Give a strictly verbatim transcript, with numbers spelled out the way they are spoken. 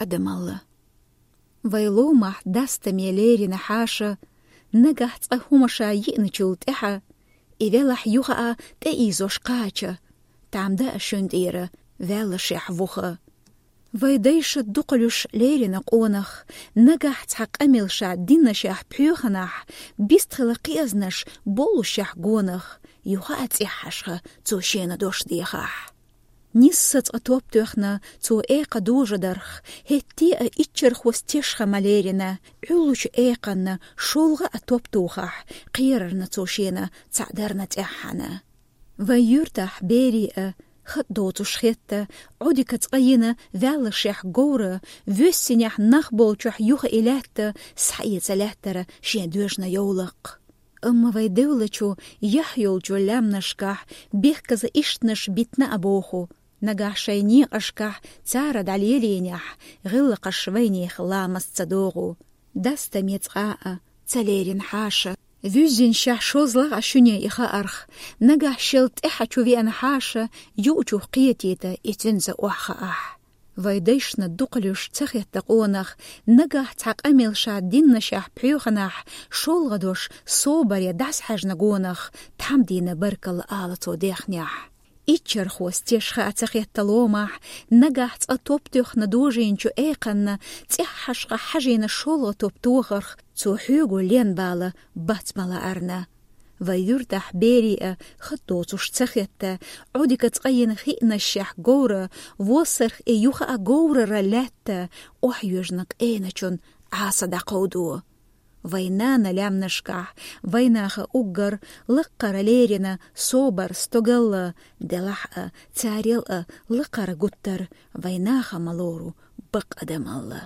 адамалла. Вай ломахь дастаме лерина хьаша, нагахь цкъа хӀума ша йиъначул тӀаьхьа, и велахь юха а тӀеийзош кхача, там даа шуьнан тӀера ваьллашехь вуха. Вай дайша дукхалуш лерина къонах, нагахь цхьа къамел ша диннашехь пхьоьханахь, бистхила кхезнаш боллушехь гонах, юха а цӀеххьашха цо шена дош дехахь. Нисса цкъа топ тоьхна цо экха дожадарх, хӀетте а иччархос тешха ма лерина, Ӏуьллучу экханна шолгӀа а топ тухахь, кхерарна цо шена цхьаъ дарна цӀеххьана. Вай юьртахь берий а, хатӀ доцуш хетта, Ӏодика цкъа йина ваьллашехь говра, воьссинехь нах болчохь юха и лаьтта, схьаэца лаьттара шен доьжна йовлакх. Амма вай девлачу, яхь йолчу лаьмнашкахь бехказа иштанаш битна а боху, нагахь шайн некъашкахь цара дӀалелийнехь, гӀиллакхаш вайнех ламаз ца догӀу. Дастаме цкъа а ца лерина хьаша, вуьззиншехь шозлагӀа шуьне и хаарх, нагахь шел тӀаьхьа чу веана хьаша, юучух кхетийта и цуьнца охьахаахь. Вай дайшна дукхалуш ца хетта къонах, нагахь цхьа къамел ша диннашехь пхьоьханахь, шолгӀа дош собаре дӀасахьаьжна гонах, тхьамдина баркалла ала цо дехнехь. Иччархос тешха а ца хетта ломахь, нагахь цкъа топ тоьхна дожийначу экханна, цӀеххьашха хьажийна шолгӀа топ тохарх, цо хьоьгу лен бала бац ма лаарна. Вай юьртахь берий а хатӀ доцуш ца хетта, Ӏодика цкъа йина хиънашшехь говра, воссарх и юха а говрара лаьтта, охьайоьжна къеначун Ӏаса дӀакховдо. Вай нана лаьмнашкахь вайнаха уггар лаккхара лерина собар, стогалла, делахь а, царел а лакхара гуттар вайнаха ма лору бакъ адамалла.